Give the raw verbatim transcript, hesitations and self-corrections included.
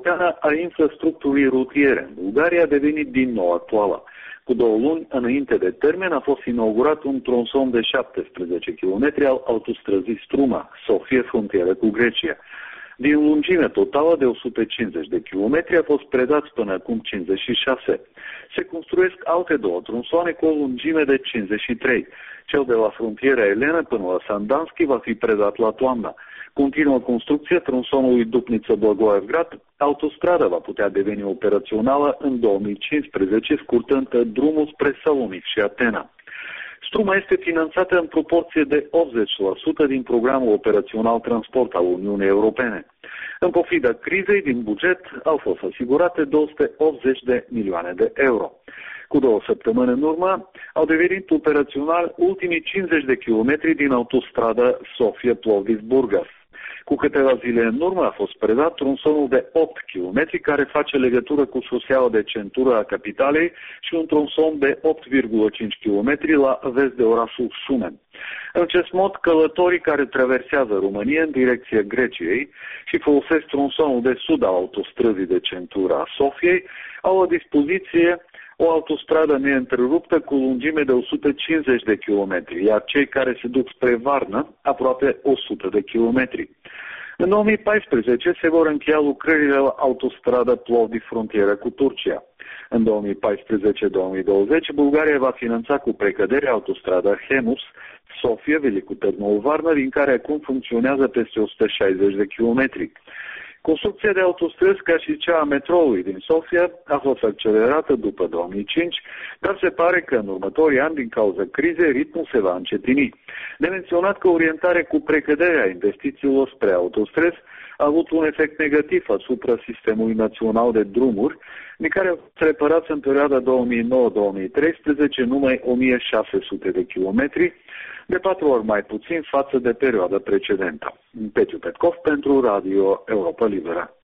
Europeană a infrastructurii rutiere în Bulgaria a devenit din nou actuală. Cu două luni înainte de termen a fost inaugurat un tronson de șaptesprezece kilometri al autostrăzii Struma, Sofia, frontieră cu Grecia. Din lungime totală de o sută cincizeci de kilometri a fost predat până acum cincizeci și șase. Se construiesc alte două tronsoane cu o lungime de cincizeci și trei. Cel de la frontiera elenă până la Sandanski va fi predat la toamnă. Continuă construcția tronsonului Dupnița-Blagoevgrad. Autostrada va putea deveni operațională în două mii cincisprezece, scurtând drumul spre Salonic și Atena. Struma este finanțată în proporție de optzeci la sută din programul operațional transport al Uniunii Europene. În pofida crizei din buget au fost asigurate două sute optzeci de milioane de euro. Cu două săptămâni în urmă au devenit operațional ultimii cincizeci de kilometri din autostrada Sofia-Plovdiv-Burgas. Cu câteva zile în urmă a fost predat tronsonul de opt kilometri care face legătură cu șoseaua de centură a capitalei și un tronson de opt virgulă cinci kilometri la vest de orașul Șumen. În acest mod, călătorii care traversează România în direcția Greciei și folosesc tronsonul de sud al autostrăzii de centură a Sofiei au la dispoziție o autostradă neîntreruptă cu lungime de o sută cincizeci de kilometri, iar cei care se duc spre Varna aproape o sută de kilometri. În două mii paisprezece se vor încheia lucrările la autostrada Plovdiv-frontieră cu Turcia. În două mii paisprezece două mii douăzeci, Bulgaria va finanța cu precădere autostrada Hemus, Sofia, Velicu Târnovu, Varna, din care acum funcționează peste o sută șaizeci de kilometri. Construcția de autostrăzi, ca și cea a metroului din Sofia, a fost accelerată după două mii cinci, dar se pare că în următorii ani, din cauza crizei, ritmul se va încetini. De menționat că orientarea cu precăderea investițiilor spre autostrăzi a avut un efect negativ asupra sistemului național de drumuri, din care au fost reparați în perioada două mii nouă două mii treisprezece numai o mie șase sute de kilometri, de patru ori mai puțin față de perioada precedentă. Petiu Petkov pentru Radio Europa Liberă.